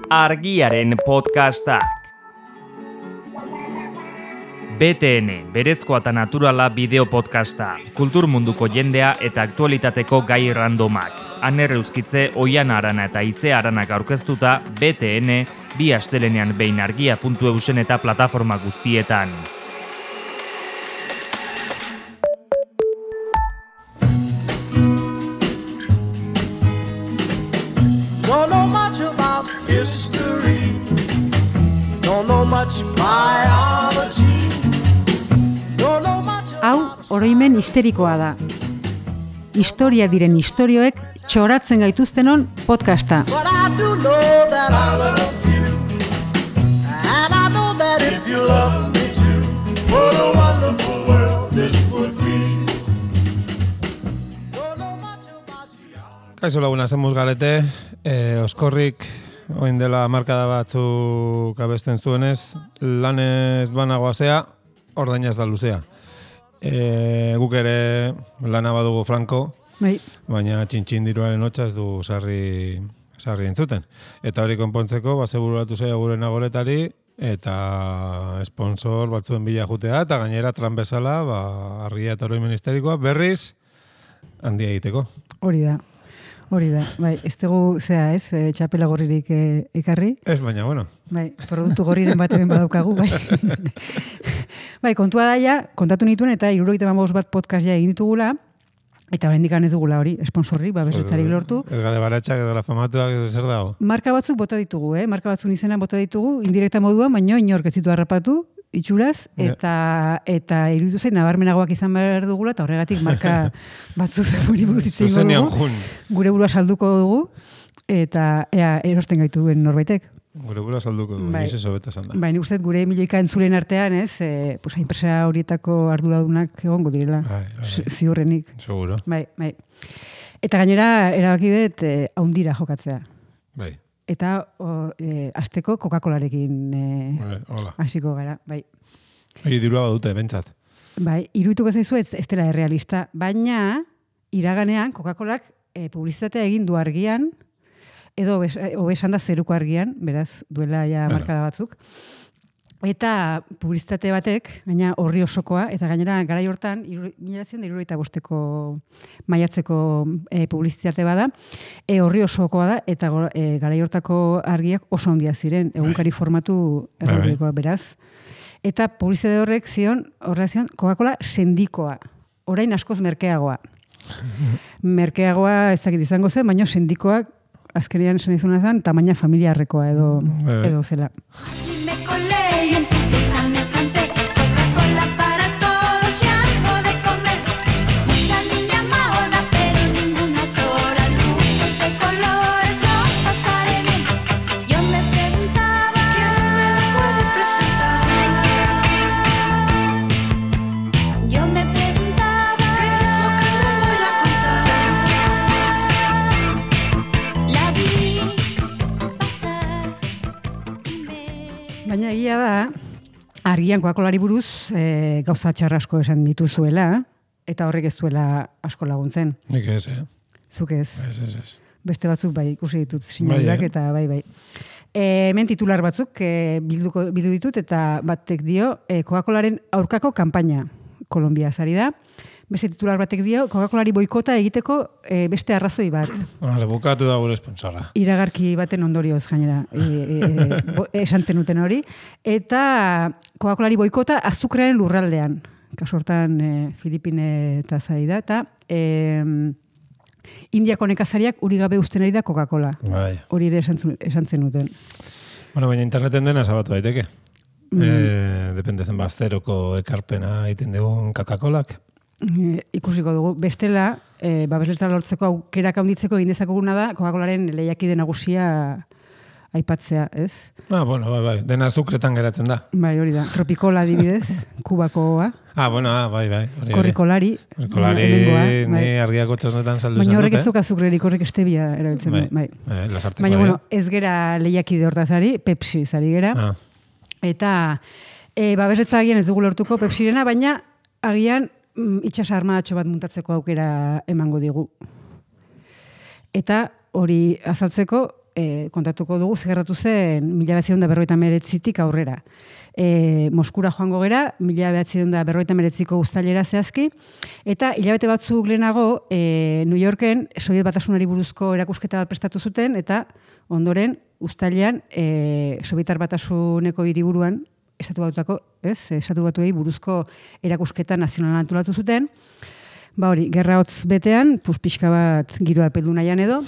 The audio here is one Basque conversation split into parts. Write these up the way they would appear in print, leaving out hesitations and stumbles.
Argiaren podcastak. BTN, berezkoa eta naturala bideo podcasta. Kultur munduko jendea eta aktualitateko gai randomak. Aner Euskitze, Oiana Arana eta Ize Aranak aurkeztuta, BTN, bi astelenean behin argia.eusen eta plataforma guztietan. Don't know much about history. Don't know much biology. Don't know much Hau, oroimen histerikoa da. Historia diren istorioek txoratzen gaituztenon podcasta. But I do know that I love you. And I know that if you love me too, what a wonderful world this would be. Don't know much about you. Kaixo laguna, zemuz galete, oskorrik oin dela markada batzuk abesten zuenez, lanez banagoazea, ordainaz da luzea. Guk ere lana badugu franko, Bai. baina txintxin diruaren hotza ez du sarri entzuten. Eta hori konpontzeko, bazeburatu zaia gure nagoretari, eta sponsor batzuen bila jutea, eta gainera tran bezala, argia eta oroimen histerikoa, berriz, handia egiteko. Hori da. Bai, ez dugu, txapela gorririk ekarri. Ez, baina, bueno. Bai, produktu gorriren bat hemen badaukagu, bai. Bai, kontua daia, kontatu nituen eta 75 bat podcast ja egin ditugula, eta oraindik ez dugula hori, sponsorrik, babesletzarik lortu. Ez gara baratxak, ez gara famatuak, ez zer dago. Marka batzuk bota ditugu, marka batzuk izenan bota ditugu, indirekta moduan, baino inork ez ditu harrapatu, itxuraz, eta iruditu zain nabarmenagoak izan behar dugula, eta horregatik marka batzu zegoen buruz itxingo Zuzenian dugu. jun. Gure burua salduko dugu, eta ea erosten gaitu duen norbaitek. Gure gura salduko du, Bai. ez sobeta esan da. Bai, nik uste dut gure milioika entzulen artean, enpresa horietako arduradunak egongo direla. Bai. Ziurrenik. Seguro. Bai. Eta gainera, erabaki dut, haundira jokatzea. Bai. Eta azteko Coca-Colarekin Hola. hasiko gara, bai. Dirua badute, bentsat. Bai, irudituko zaizu ez dela errealista, baina iraganean Coca-Colak publizitatea egin du argian, edo hobesan da zeruko argian, beraz, duela ja markada batzuk. Eta publizitate batek, gaina horri osokoa, eta gainera garai hortan, 1975ko maiatzeko publizitate bada, horri osokoa da, eta garai hortako argiak oso handia ziren, egunkari formatu erraldikoa, beraz. Eta publizitate horrek horrela zion, Coca-Cola sendikoa, orain askoz merkeagoa. Merkeagoa ez dakit izango zen, baina sendikoak azkenean esan izuna zen, tamaina familiarrekoa edo zela. Me colé y en tu fiesta me planté. Coca-Cola para todos, ya de comer. Mucha niña mahona, pero ninguna sola. Luces de colores, los pasaré bien. Yo me preguntaba, ¿quién me puede presentar? Yo me preguntaba, ¿qué es lo que me voy a contar? La vi pasar y me... Baina egia da, argian Coca-Colari buruz gauza txarra asko esan dituzuela, eta horrek ez duela asko laguntzen. Nik ez, Zuk ez. Ez. Beste batzuk bai ikusi ditut sinadrak eta bai. Hemen titular batzuk bildu ditut eta batek dio Coca-Colaren aurkako kanpaina Kolombia zari da. Beste titular batek dio Coca-Colari boikota egiteko beste arrazoi bat. Bukatu da gure sponsorra. Iragarki baten ondorioz gainera esan zenuten hori. Eta Coca-Colari boikota azukrearen lurraldean. Kasu hortan Filipine eta zai da. Eta Indiako nekazariak uri gabe uzten ari da Coca-Cola. Bai. Hori ere esan zenuten. Bueno, baina interneten dena zabatu daiteke. Depende zen bazteroko ekarpena egiten dugun Coca-Colak. Ikusiko dugu. Bestela, babesletza lortzeko aukerak handitzeko egin dezakeguna da Coca-Colaren lehiakide nagusia aipatzea, ez? Bueno, bai. Dena azukretan geratzen da. Bai, hori da. Tropikola adibidez, Kubakoa. Bai. Korrikolari. Ni argiako txosnetan saldu zen dute. Baina horrek ez duk azukrerik, horrek estebia erabiltzen du. Bai. Baina, bueno, ez gera lehiakide hortazari, Pepsi zari gera. Eta babesletza agian ez dugu lortuko Pepsirena, baina agian itxas armadatxo bat muntatzeko aukera emango digu. Eta hori azaltzeko, kontatuko dugu zegertatu zen 1959tik aurrera. Moskura joango gera, 1959ko uztailera zehazki, eta hilabete batzuk lehenago New Yorken Sobiet Batasunari buruzko erakusketa bat prestatu zuten, eta ondoren uztailean Sobietar Batasuneko hiriburuan Estatu Batuei buruzko erakusketa nazionala antolatu zuten. Ba hori, gerra hotz betean, pixka bat giroa peldu nahian edo.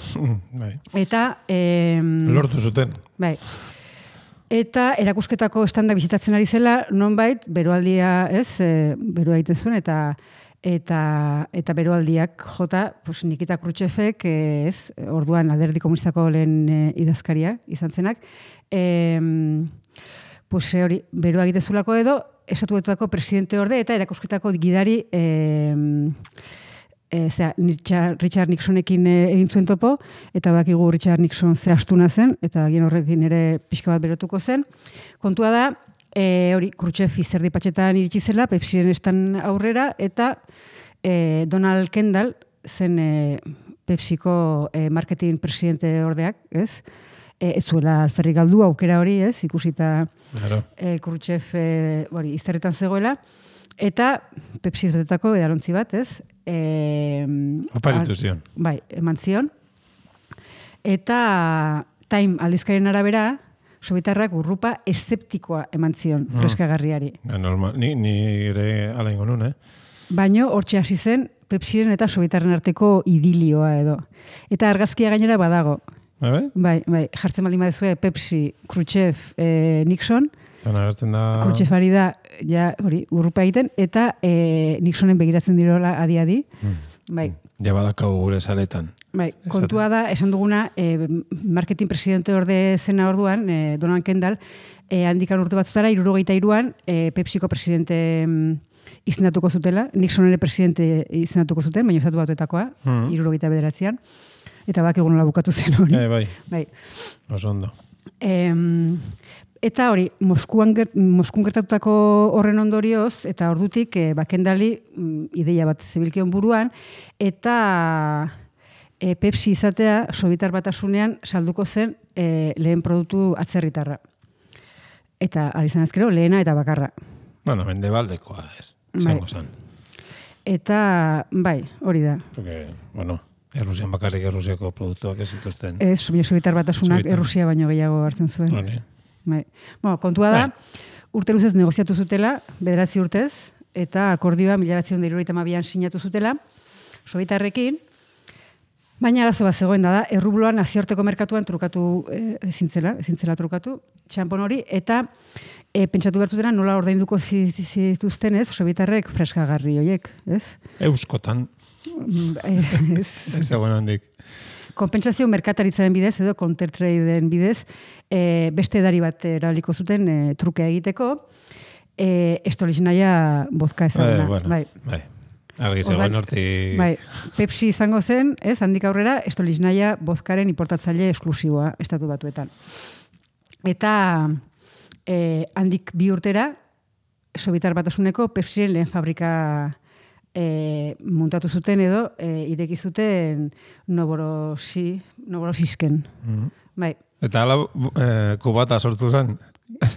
Bai. Eta... Lortu zuten. Bai. Eta erakusketako estandak bisitatzen ari zela, nonbait, beroaldia, beroa egiten zuen, eta beroaldiak jota, pues, Nikita Khrushchevek, orduan Alderdi Komunistako lehen idazkaria izan zenak, pues, hori, beroa egiten zulako edo, Estatu Batuetako presidente orde eta erakusketako gidari Richard Nixonekin egin zuen topo, eta bakigu Richard Nixon ze astuna zen, eta agien horrekin ere pixka bat berotuko zen. Kontua da, hori, Khrushchev izerdi patxetan iritsi zela, Pepsiren estan aurrera, eta Donald Kendall zen Pepsiko marketing presidente ordeak, ez? Ez zuela alferrik galdu aukera hori, ez? Ikusita Khrushchev izerretan zegoela, eta Pepsi izateko edalontzi bat, ez? Oparitu zion. Bai, eman zion. Eta Time aldizkaren arabera, sobietarrak urrupa eszeptikoa eman zion, freskagarriari. Normal, ni ere ala ingo nun, Baino, hortxe hasi zen, Pepsiren eta sobietarren arteko idilioa edo. Eta argazkia gainera badago. Bai, jartzen baldin badezue Pepsi, Khrushchev, Nixon. Agertzen da... Khrushchevari da, ja, hori, urrupa egiten, eta Nixonen begiratzen dirola adi-adi. Bai. Ja badakau gure saletan. Bai, kontua da, esan duguna, marketing presidente orde zena orduan, Donald Kendall, handikan urte batzutara, 73an, Pepsiko presidente izendatuko zutela, Nixon ere presidente izendatuko zuten, baina Estatu Batuetakoa, 79an. Eta bak egun nola bukatu zen hori. Bai. Oso ondo. Eta hori, Moskun gertatutako horren ondorioz, eta ordutik Kendalli ideia bat zebilkion buruan, eta Pepsi izatea Sobietar Batasunean salduko zen lehen produktu atzerritarra. Eta alizan ezkero, lehena eta bakarra. Bueno, mendebaldekoa ez. Zango zan. Eta, bai, hori da. Porque, bueno... Errusian bakarrik Errusiako produktuak ez zituzten. Ez, Sobietar Batasunak Errusia baino gehiago hartzen zuen. Bai. Bueno, kontua da, urte luzez negoziatu zutela, 9 urtez, eta akordioa 1972an sinatu zutela, Sobietarrekin, baina arazo bat zegoen da, errubloan nazioarteko merkatuan trukatu ezintzela trukatu, txampon hori, eta pentsatu bertutena nola ordainduko zituzten ez, Sobietarrek freskagarri horiek, ez? Euskotan. Ez egon handik. Konpentsazio merkataritzaren bidez edo countertradeen bidez beste edari bat erabaliko zuten trukea egiteko estoliznaia bozka ezaguna. Bai. Argi zegoen horti... Bai, Pepsi izango zen, ez, handik aurrera, estoliznaia bozkaren importatzaile esklusiboa Estatu Batuetan. Eta handik 2 urtera Sobietar Batasuneko Pepsiren lehen fabrika muntatu zuten edo ireki zuten Novorosisken. Bai. Eta ala kubata sortu zen?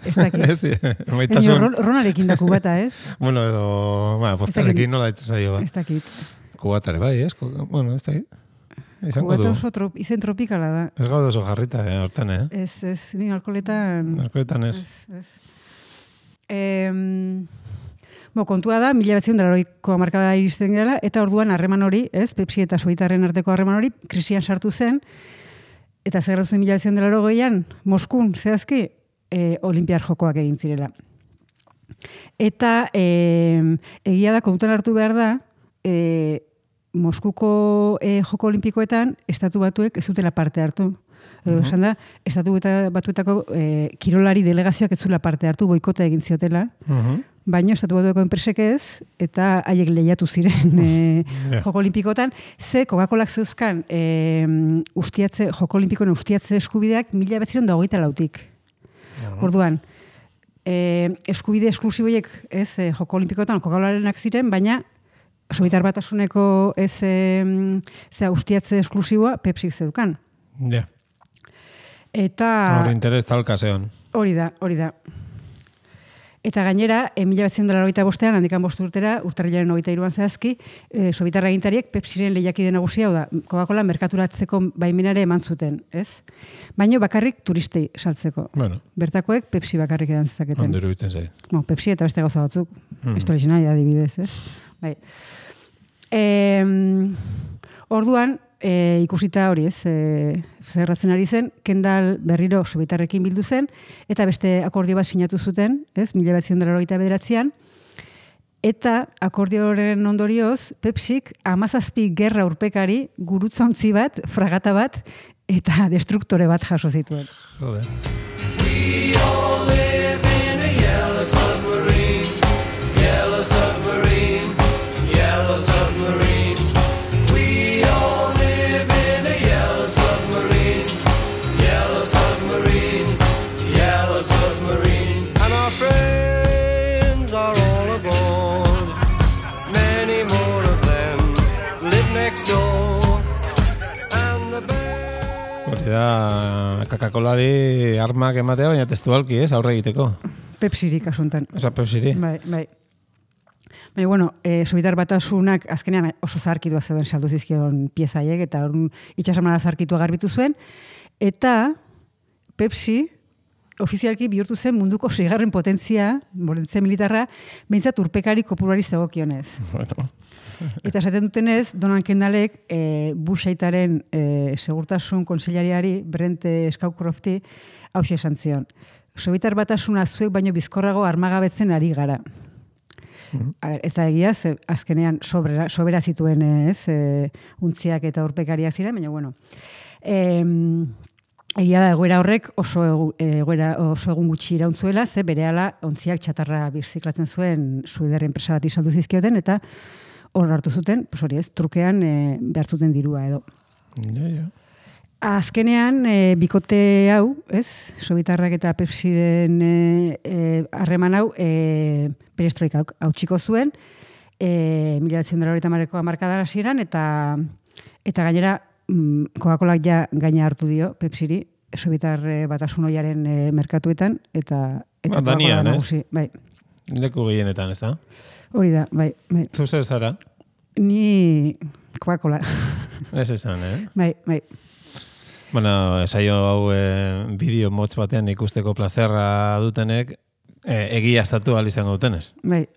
Ez dakit. Ronarekin da kubata, ez? Bueno, edo, poztarekin nola zaio. Ez dakit. Kubatare, bai, ez? Bueno, ez dakit. Kubata oso izen tropikala da. Ez gaude oso jarrita, hortan, Ez, ni alkoholetan... Alkoholetan ez. Kontua da, 1980ko hamarkada iristen gela, eta orduan harreman hori, ez, Pepsi eta Sobietarren arteko harreman hori, krisian sartu zen, eta zegarratu zen 1980an, Moskun, zehazki, Olimpiar Jokoak egin zirela. Eta egia da, kontuan hartu behar da, Moskuko Joko Olimpikoetan, Estatu Batuek ez dutela parte hartu. Esan da, Estatu Batuetako kirolari delegazioak ez zula parte hartu, boikota egin ziotela, baina Estatu Batuetako enpresek ez, eta haiek lehiatu ziren Joko Olimpikoetan, ze Coca-Colak zeuzkan Joko Olimpikoen ustiatze eskubideak 1924tik. Orduan, eskubide esklusiboiek ez Joko Olimpikoetan Coca-Colarenak ziren, baina Sobietar Batasuneko ez ustiatze esklusiboa Pepsik zeukan. Eta Hor interes talka zeon. hori da. Eta gainera, 1985an, handikan 5 urtera, urtarrilaren 23an zehazki, Sobitar agintariek Pepsiren lehiakide nagusia, da, Coca-Cola merkaturatzeko baimenare eman zuten, ez? Baina bakarrik turistei saltzeko. Bueno, Bertakoek Pepsi bakarrik edan zezaketen. ondo iruditzen zait. Pepsi eta beste gauza batzuk. Estolizena, adibidez, ez? Bai. Orduan, ikusita hori ez, zerratzen ari zen, Kendall berriro Sobitarrekin bildu zen, eta beste akordio bat sinatu zuten, ez, 1989an, eta akordio horren ondorioz, Pepsik 17 gerra urpekari gurutzontzi bat, fragata bat, eta destruktore bat jaso zituen. Joder. And our friends are all aboard. Many more of them live next door. And the band... Hori da, Coca-Colari armak ematea, baina testualki, ez, aurre egiteko. Pepsirik asuntan. Osa, Pepsiri. Bai. Baina, bueno, Sobitar batasunak azkenean oso zaharkitua zeuden saldu zizkion piezaiek, eta orduan itxasamara zaharkitua garbitu zuen, eta Pepsi ofizialki bihurtu zen munduko 6. potentzia militarra, behintzat urpekari kopurari zegokionez. Bueno. Eta esaten dutenez, Donald Kendallek Bush aitaren segurtasun kontseilariari, Brent Scowcrofti, hauxe esan zion. Sobitar batasuna zuek baino bizkorrago armagabetzen ari gara. Ez da egia, azkenean sobera zituen ez, untziak eta urpekariak ziren, baina bueno. Egia da, egoera horrek oso egun gutxi irauntzuela, ze berehala ontziak txatarra birziklatzen zuen Suider enpresa bat izaldu zizkioten, eta hor hartu zuten, pues hori ez, trukean behar zuten dirua edo. Ja. Azkenean, bikote hau, ez, Sobitarrak eta Pepsiren harreman hau, perestroika hautsiko zuen, 1990ko hamarkadan hasieran, eta gainera, Coca-Colak ja gaina hartu dio Pepsiri, Sobitar batasun oiaren merkatuetan, eta Danian, nagusi, bai. Leku gehienetan, ez da? Hori da, bai. Zu zer zara? Ni Coca-Cola. Ez esan, Bai. Bueno, saio hau bideo motz batean ikusteko plazerra dutenek, egiaztatu ahal izango dutenez. Bai.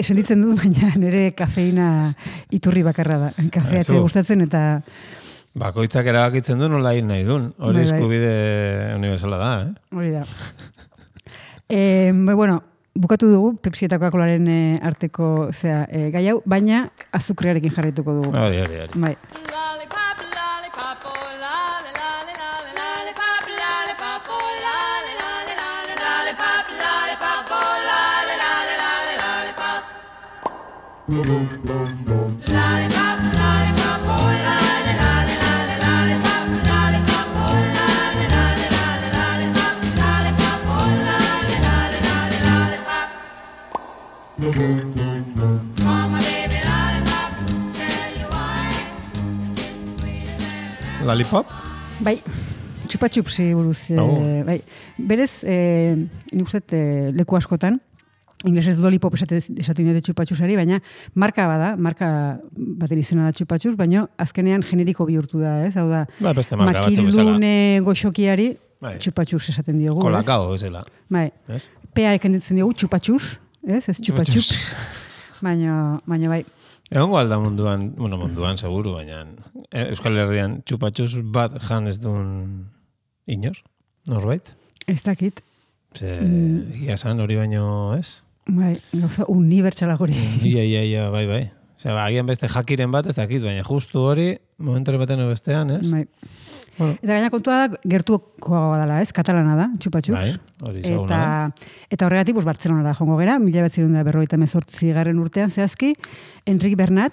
Sentitzen dut, baina nire kafeina iturri bakarra da. Kafeatzea gustatzen eta... Bakoitzak erabakitzen du nola hil nahi duen. Hori eskubide universala da, Hori da. Bueno, bukatu dugu Pepsi eta Coca-Colaren arteko gai hau, baina azukrearekin jarraituko dugu. Hori. Bai. Lollipop, lollipop, oh, lolly, lolly, lolly, lollipop, lollipop, oh, lolly, lolly, lolly, lollipop, lollipop, oh, lolly, lolly, lolly, lollipop. Lollipop, lollipop, oh, lolly, lolly, lolly, lollipop, lollipop, oh, lolly, lolly, lolly, lollipop, lollipop, oh, lolly, lolly, lolly, lollipop. Oh, my baby lollipop, tell you why. Lollipop? Bai, txupa-txupsi buruz. Bai. Berez, nik uste leku askotan, inglesez lollipop esaten dute txupa-txusari, baina marka baten izena da txupa-txus, baina azkenean generiko bihurtu da, ez? Hau da, Beste marka batzuk bezala. makilune goxokiari Bai. txupa-txus esaten diogu, Kolakao, bezala. Bai, Ez? pea ekenditzen diogu txupa-txus, ez txupa-txups. Baina bai. Egongo alda munduan seguru, baina Euskal Herrian txupatxuz bat jan ez duen inor, norbait? Ez dakit. Ia san hori baino ez? Bai, gauza unibertsala hori. Ia, bai. Osea, agian beste jakiren bat ez dakit, baina justu hori, momentu baten bestean, ez? Bai. Bueno. Eta gaina kontua da, gertukoa dela, ez? Katalana da, txupa-txups. Bai, hori izaguna da. Eta horregatik, Bartzelonara jongo gera, 1958 urtean zehazki, Enric Bernat,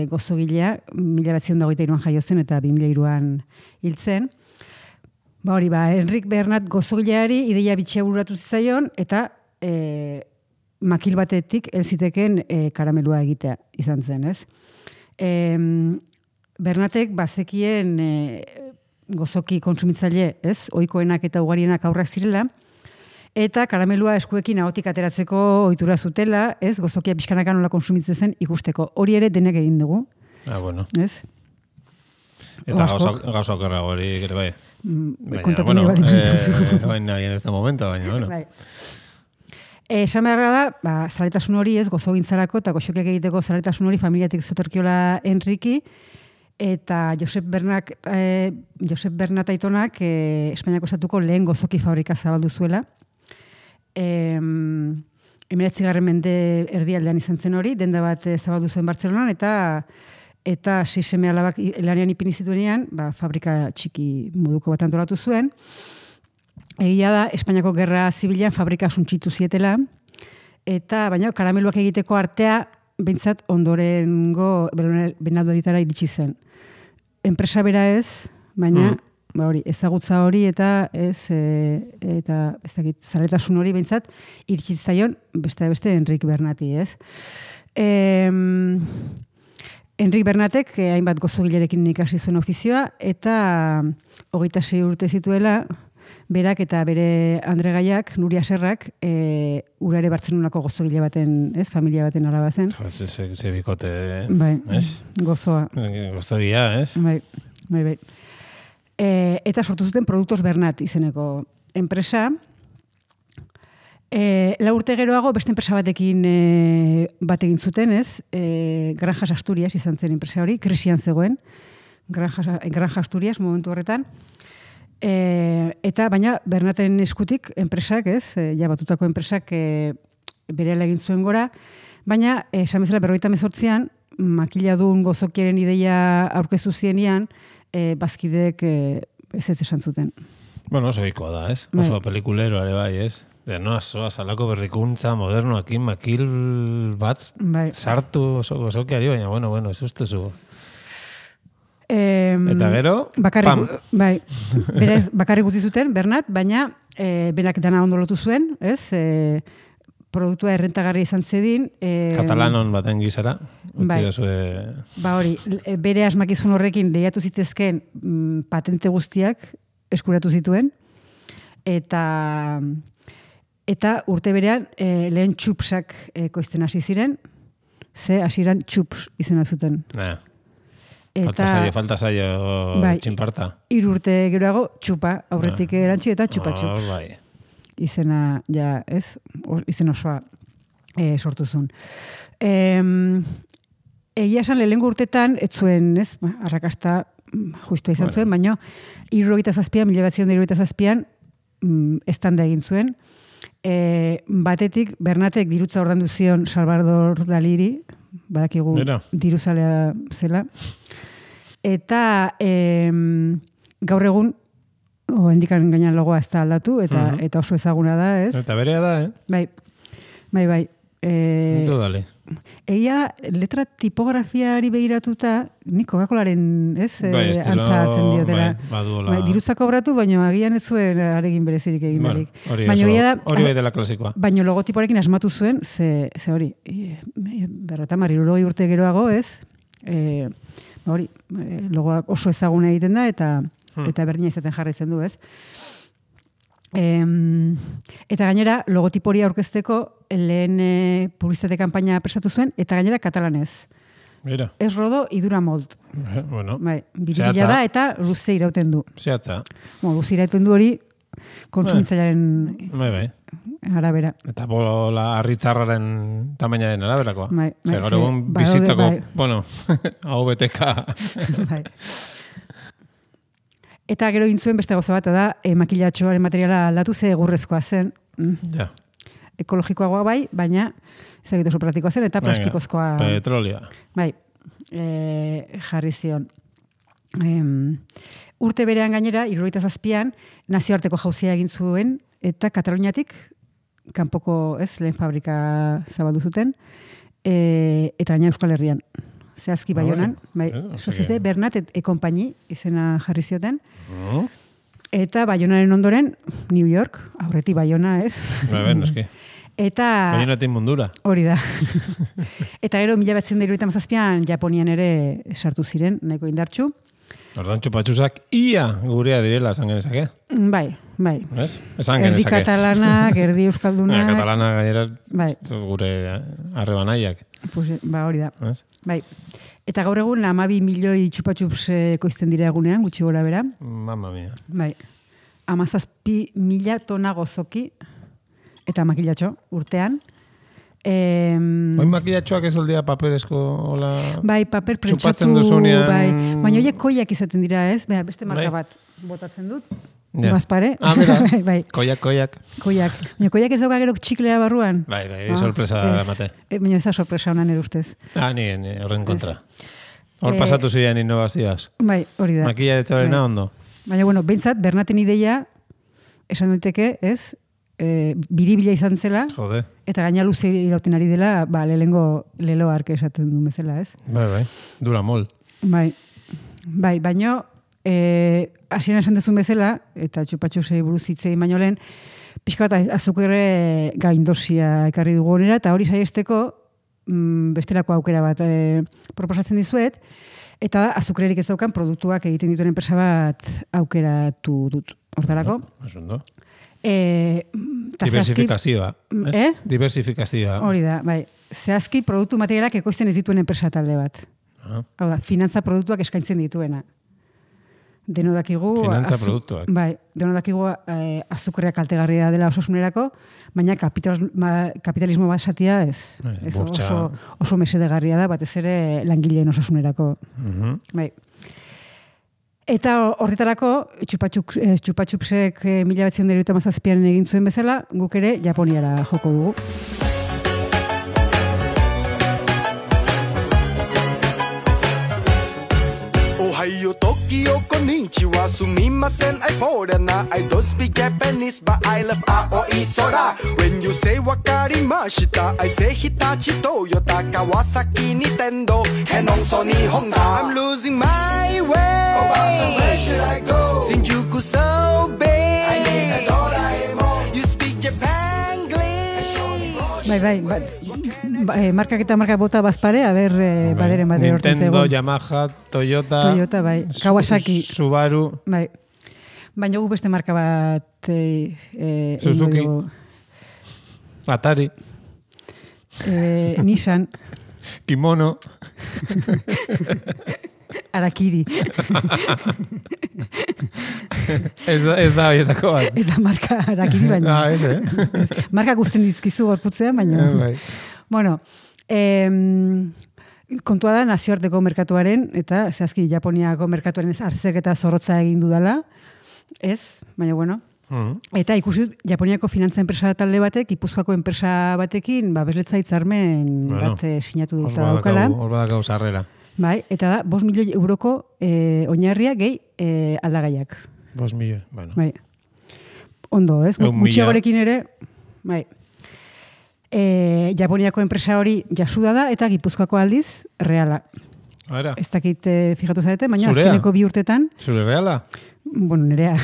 gozogilea, 1923an jaio zen eta 2003an hiltzen. Enric Bernat gozogileari ideia bitxia bururatu zitzaion, eta makil batetik elziteken karamelua egitea izan zen, ez? Bernatek bazekien gozoki kontsumitzaile, ez? Ohikoenak eta ugarienak aurrak zirela, eta karamelua eskuekin ahotik ateratzeko ohitura zutela, ez? Gozokia pixkanaka nola konsumitzen zen ikusteko. Hori ere denek egin dugu, Bueno. ez? Eta Askok. gauza okerra hori, ere bai. Kontatu nahi baldin dituzu. Baina, en este momento, baina, bueno. Bai. Esan beharra da, zaletasun hori ez, gozogintzarako eta goxokiak egiteko zaletasun hori familiatik zotorkiola Enriki, eta Josep Bernat aitonak Espainiako estatuko lehen gozoki fabrika zabaldu zuela. 19. mende erdialdean izan zen hori, denda bat zabaldu zuen Bartzelonan, eta 6 seme alabak lanean ipini zituenean, fabrika txiki moduko bat antolatu zuen. Egia da, Espainiako gerra zibilan fabrika suntxitu zietela, eta baina karameluak egiteko artea, behintzat ondorengo benaldoetara iritsi zen. Enpresa bera ez, baina hori, ezagutza hori eta eta ez dakit, zaletasun hori behintzat iritsi zaion beste Enrik Bernati, ez? Enrik Bernatek hainbat gozogilerekin ikasi zuen ofizioa eta 26 urte zituela berak eta bere andregaiak, Nuria Serrak, urare Bartzelonako gozogile baten, ez, familia baten alaba zen. Ze bikote, Bai, ez? gozoa. Gozogia, ez? Bai. Eta sortu zuten Produktos Bernat izeneko enpresa. 4 urte geroago beste enpresa batekin bat egin zuten, ez? Granjas Asturias izan zen enpresa hori, krisian zegoen. Granja Asturias momentu horretan. Eta baina Bernaten eskutik enpresak, ez? Ja batutako enpresak berehala egin zuen gora, baina esan bezala 58an makiladun gozokiaren ideia aurkeztu zienean, bazkideek ez esan zuten. Bueno, oso ikoa da, ez? Bai. Oso pelikulero ere bai, ez? Azalako berrikuntza modernoakin makil bat Bai. sartu oso gozokiari, baina, bueno, ez ustezu. Eta gero, pam. Bai, berez, bakarrik utzi zuten, Bernat, baina berak dana ondo lotu zuen, ez? Produktua errentagarri izan zedin. Katalanon baten gizara, utzi bai. dozue... Hori, bere asmakizun horrekin lehiatu zitezken patente guztiak eskuratu zituen, eta urte berean lehen txupsak koizten hasi ziren, ze hasieran txups izena zuten. Falta zaio bai, txinparta. 3 urte geroago txupa, aurretik erantzi eta txupa-txups. Bai. Izena, ja, ez? Izen osoa sortuzun. Egia esan lehengo urtetan, ez zuen, ez? Arrakasta justua izan zuen, baina 1977an estanda egin zuen. Batetik, Bernatek dirutza ordandu zion Salvador Daliri, badakigu diruzalea zela. Eta gaur egun, hendikan gainan logoa ez da aldatu, eta oso ezaguna da, ez? Eta berea da, Bai. Dale. Egia, letra tipografiari begiratuta, nik Coca-Colaren, ez? Antzatzen diotela. Baduola. Dirutza kobratu, baina agian ez zuen aregin berezirik egin darik. Hori bai dela klasikoa. Baina logotipoarekin asmatu zuen, ze hori, 50 urte geroago, ez? Hori, logoak oso ezaguna egiten da, eta berdina izaten jarraitzen du, ez? Eta gainera, logotipori aurkezteko lehen publizitate kanpaina prestatu zuen, eta gainera katalanez. Mira. Ez rodo, idura molt. Bueno. Bai, biribila da eta luze irauten du. Zehatza. Luze irauten du hori kontsumitzailearen arabera. Eta bola arritzarraren tamainaren araberakoa. Bai. Gaur egun bizitzako, hau beteka. Bai. Eta gero intzuen beste gauza bat da, makilatxoaren materiala aldatu ze egurrezkoa zen. Ja. Ekologikoagoa bai, baina ezagit oso praktikoa zen, eta plastikozkoa... Petrolioa. Bai, jarri zion. Urte berean gainera, 77an, nazioarteko jauzia egin zuen, eta Kataluniatik, kanpoko lehen fabrika zabaldu zuten, eta gaina Euskal Herrian. Zehazki Baionan, Societe Bernat et Compagnie izena jarri zioten. Eta Baionaren ondoren, New York, aurreti Baiona, ez? Noski. Eta... Baionatik mundura. Hori da. Eta gero, 1977an Japonian ere sartu ziren, nahiko indartxu. Ordan txupatxusak ia gurea direla esan genezake. Bai. Ez? Esan Erdi genezake. katalanak, erdi euskaldunak. Katalana gainera Bai. gure arrebanaiak. Pues, hori da. Ez? Bai. Eta gaur egun 12 milioi txupatxups koizten dira egunean, gutxi gora bera. Mamma mia. Bai. 17.000 tona gozoki eta makilatxo urtean. Oin makilatxoak ez aldea paperezko hola... Bai, paper txupatzen prentxatu, duzunean... bai. Baina horiek koiak izaten dira, ez? Beste marka Bai. bat botatzen dut. Ja. Bazpare. Mira. bai. Koiak. Koiak. Baina koiak ez dauka gero txiklea barruan. Bai, sorpresa emate. Baina ez da sorpresa honan ere ustez. Ni horren kontra. Hor pasatu ziren innovazioaz. Bai, hori da. Makilatxoarena ondo. Baina, bueno, behintzat, Bernaten ideia, esan daiteke, ez? Biribila izan zela, Jode. eta gaina luze irauten ari dela, lehengo lelo arke esaten duen bezala, ez? Bai. Dura mol. Bai, baina hasieran esan dezun bezala, eta txupatxusei buruz hitzei baino lehen, pixka bat azukre gaindosia ekarri dugu honera, eta hori saiesteko bestelako aukera bat proposatzen dizuet, eta azukrerik ez daukan produktuak egiten dituen enpresa bat aukeratu dut. Hortarako? Asunto. Diversifikazioa. Diversifikazioa. Hori da, bai. Zehazki produktu materialak ekoizten ez dituen enpresa talde bat. Hau da, finantza produktuak eskaintzen dituena. Denodakigu... Finantza produktuak. Bai, denodakigu azukrea kaltegarria dela osasunerako, baina kapitalismo bat satia ez. Oso mesedegarria da, batez ere langileen osasunerako. Bai. Eta horretarako, txupatxupsek 1997an egin zuen bezala, guk ere Japoniara joko dugu. Ohio, Tokyo, konnichiwa, sumimasen, I foreigner. I don't speak Japanese, but I love Aoi Sora. When you say wakarimashita, I say Hitachi, Toyota, Kawasaki, Nintendo, Canon, Sony, Honda. I'm losing my way. Oh, so where should I go? Shinjuku so big. I need a Doraemon. You speak Japanglish. Bai, markak eta markak bota bazpare, baderen hortzen zegoen. Nintendo, Yamaha, Toyota, bai, Kawasaki. Subaru. Bai. Baina gu beste marka bat... Suzuki. Atari. Nissan. Kimono. Arakiri. Ez da horietako bat. Ez da marka Arakiri, baina. Marka guztien dizkizu gorputzean, baina. Bueno, kontua da nazioarteko merkatuaren, eta zehazki Japoniako merkatuaren arzerketa zorrotza egin dudala, ez, baina bueno. Eta ikusi Japoniako finantza enpresa talde batek, Gipuzkoako enpresa batekin, bezletza hitzarmen bat sinatu dut daukala. Hor badakau sarrera. Bai, eta da, 5 milioi euroko oinarria gehi aldagaiak. 5 milioi, bueno. Bai. Ondo, ez? Gutxiagorekin ere, bai. Japoniako enpresa hori jasuda da, eta Gipuzkoako aldiz, reala. Ara. Ez dakit fijatu zarete, baina azkeneko 2 urtetan... Zure reala? Bueno, nerea.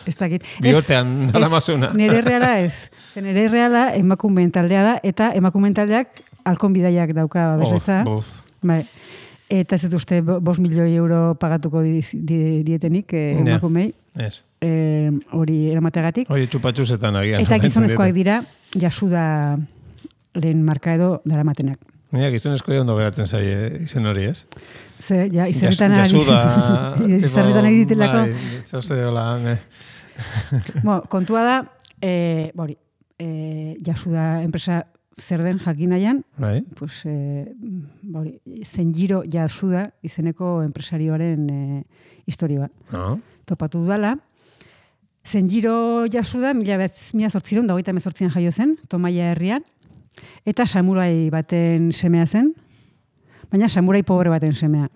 Ez dakit. Bihotzean dala mazuna. Nere reala ez. Nere reala emakumeen taldea da, eta emakumeen taldeak halkon bidaiak dauka bezletza. Bai. Eta ez dut uste 5 milioi euro pagatuko dietenik emakumei. Ez. Hori eramateagatik. Hori txupatxusetan agian. Eta gizonezkoak dira, jasuda lehen marka edo daramatenak. Mira, gizonezko ondo geratzen zaie izen hori, ez? Ze, ja, izerretan jasuda... izerretan ari ditelako. Bai, zauze hola, kontua da, jasuda enpresa zer den jakinaian, pues, Zenjiro Yasuda izeneko enpresarioaren historioa. Topatu dudala. Zenjiro Yasuda 1928an jaio zen, Tomaia herrian, eta samurai baten semea zen, baina samurai pobre baten semea.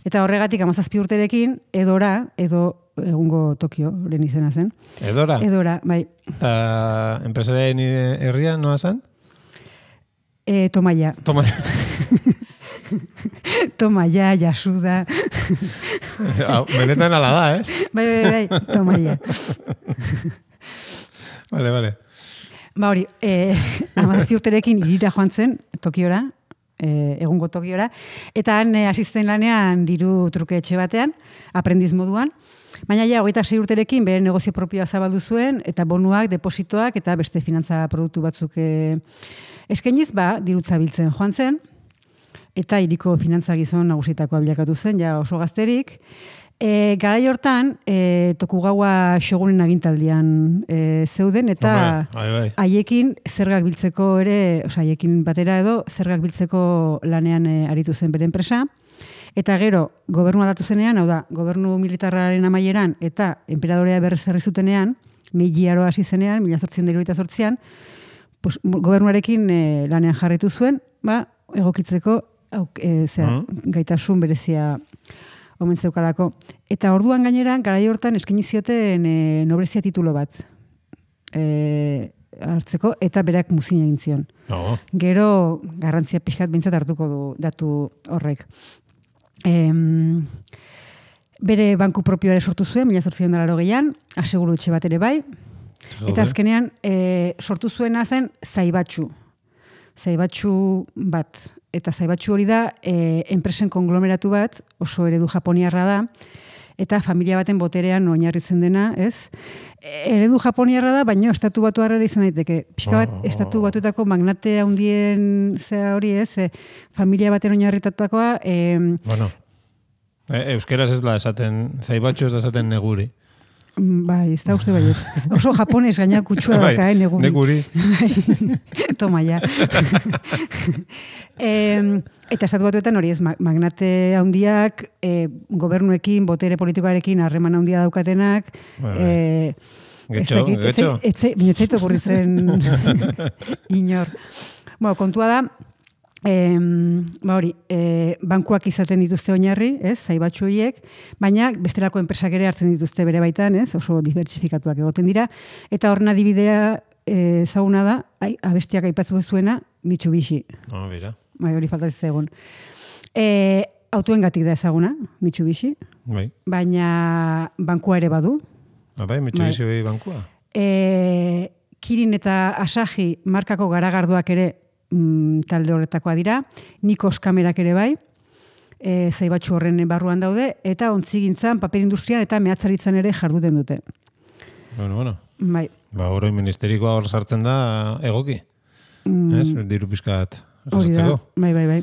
Eta horregatik 17 urterekin, Edora, egungo Tokio lehen izena zen. Edora? Edora, bai. Eta enpresaren herria noa zen? Tomaia. Tomaia, Yasuda. Benetan ala da, Bai, Tomaia. Vale. Ba hori, 17 urterekin irira joan zen, Tokiora, egungo tokiora, eta han hasi zen lanean diru truke etxe batean, aprendiz moduan, baina ja, 26 urterekin bere negozio propioa zabaldu zuen, eta bonuak, depositoak, eta beste finantza produktu batzuk eskainiz, dirutza biltzen joan zen, eta hiriko finantza gizon nagusitakoa bilakatu zen, ja oso gazterik. Garai hortan, Tokugawa shogunen agintaldian zeuden, eta haiekin zergak biltzeko ere, haiekin batera edo, zergak biltzeko lanean aritu zen bere enpresa. Eta gero, gobernua datu zenean, hau da, gobernu militarraren amaieran, eta enperadorea berrezarri zutenean, Meiji aroa hasi zenean, 1878an, pues, gobernuarekin lanean jarritu zuen, egokitzeko gaitasun berezia omen zeukalako. Eta orduan gainera, garai hortan eskaini zioten noblezia titulo bat hartzeko, eta berak muzin egin zion. Gero, garrantzia pixkat bintzat hartuko du datu horrek. Bere banku propioa ere sortu zuen, 1880an, aseguru etxe bat ere bai, eta azkenean sortu zuena zen Zaibatsu bat. Eta Zaibatsu hori da, enpresen konglomeratu bat, oso eredu japoniarra da, eta familia baten boterean oinarritzen dena, ez? Eredu japoniarra da, baina estatu batuarra izan daiteke. Pixka bat, estatu batuetako magnate handien zea hori, ez? Familia baten oinarritatakoa... Euskeraz ez da esaten, Zaibatsu ez da esaten neguri. Bai, ez da uste baiet. Oso japones gaina kutsua daka, neguri. Neguri. Toma, ja. Eta estatu batuetan hori ez, magnate handiak, gobernuekin, botere politikoarekin harreman handia daukatenak, Getxo. Binetzaitu okurritzen inor. Kontua da, bankuak izaten dituzte oinarri, ez, Zaibatsu horiek, baina bestelako enpresak ere hartzen dituzte bere baitan, ez, oso dibertsifikatuak egoten dira, eta horren adibidea ezaguna da, abestiak aipatzu zuena, Mitsubishi. Bera. Hori faltatzen egun. Autoengatik da ezaguna, Mitsubishi, baina bankua ere badu. Mitsubishi bai bankua. Kirin eta Asahi markako garagardoak ere talde horretakoa dira, Nikos kamerak ere bai, Zaibatsu horren barruan daude, eta ontzigintzan, paper industrian eta mehatzaritzan ere jarduten dute. Bueno. Bai. Oroi ministerikoa hor sartzen da egoki. Ez? Diru pizkat jasotzeko. Bai.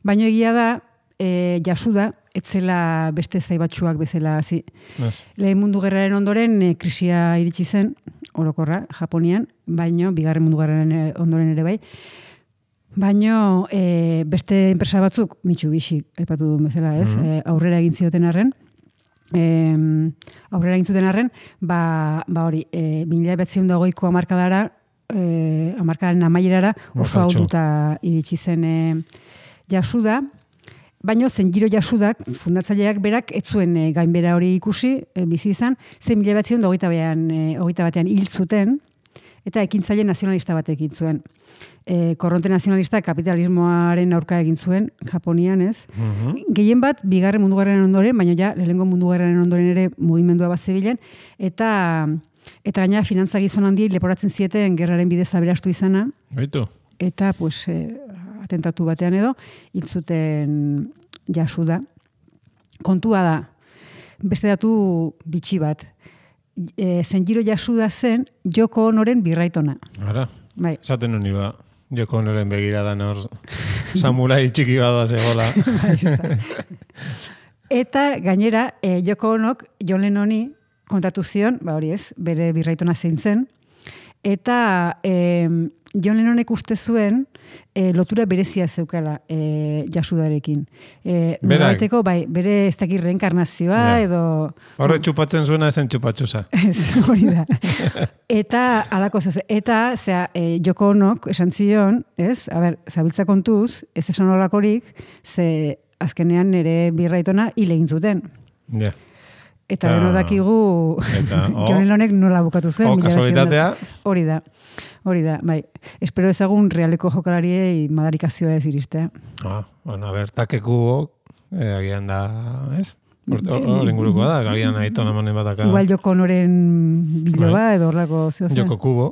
Baina egia da, Yasuda, etzela beste Zaibatsuak bezala hasi. Lehen mundu gerraren ondoren krisia iritsi zen, orokorra, Japonian, baino, bigarren mundu gerraren ondoren ere bai. Baino, beste enpresa batzuk, Mitsubishi, aipatu duen bezala, ez? Aurrera egin zioten arren. Hori, 1920ko hamarkadaren amaierara oso ahulduta iritsi zen Yasuda. Baina Zenjiro Yasudak, fundatzaileak berak, ez zuen gainbera hori ikusi, bizi izan, 1928 batean hil zuten, eta ekintzaile nazionalista bat egin zuen. Korronte nazionalista kapitalismoaren aurka egin zuen, Japonian, ez? Gehien bat, bigarren mundu gerraren ondoren, baina ja, lehenengo mundu gerraren ondoren ere mugimendua bat zebilen, eta gaina finantza gizon handi leporatzen zieten gerraren bidez aberastu izana. Baitu. Eta, atentatu batean edo, hil zuten Yasuda. Kontua da, beste datu bitxi bat. Zenjiro Yasuda zen Yoko Onoren birraitona. Ara, bai. Esaten honi ba, Yoko Onoren begiradan hor samurai txiki bada zegoela. Eta gainera, Yoko Onok John Lennoni kontatu zion, hori ez, bere birraitona zein zen, eta John Lennonek uste zuen lotura berezia zeukala Yasudarekin. Noraiteko, bere ez dakit reenkarnazioa edo... Horre txupatzen zuena esen txupatxusa. Ez, hori da. Eta, alako zeuze, Yoko Onok esan zion, ez? Zabiltza kontuz, ez esan holakorik, ze azkenean nire birraitona hil egin zuten. Ja. Eta deno dakigu John Lennonek nola bukatu zuen. Kasualitatea. Hori da, bai. Espero ezagun realeko jokalariei madarikazioa ez iristea. Takekubo, agian da, ez? Hor ingurukoa da, agian aitona manen bataka. Igual Joko Onoren biloba edo horlako zeozen. Joko Kubo,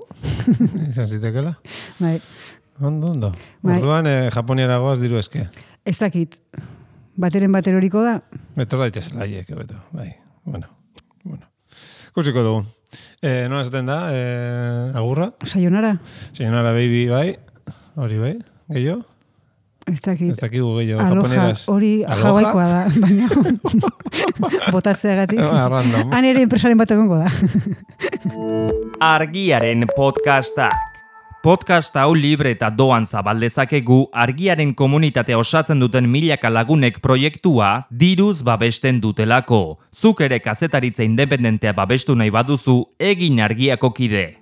izan zitekela. Bai. Ondo. Bai. Orduan, Japoniara goaz diru eske. Ez dakit, bateren horiko da. Etor daitezela, beto. Bai, bueno. Kusiko dugu. Nola esaten da, agurra? Sayonara? Sayonara baby, bai. Hori bai, gehiago? Ez dakit. Ez dakigu gehiago, Aloha, japoneraz. hori hawaiikoa da, baina botatzeagatik. Random. Han ere enpresaren bat egongo da. Argiaren podcastak. Podcast hau libre eta doan zabaldezakegu argiaren komunitatea osatzen duten milaka lagunek proiektua diruz babesten dutelako. Zuk ere kazetaritza independentea babestu nahi baduzu, egin argiako kide.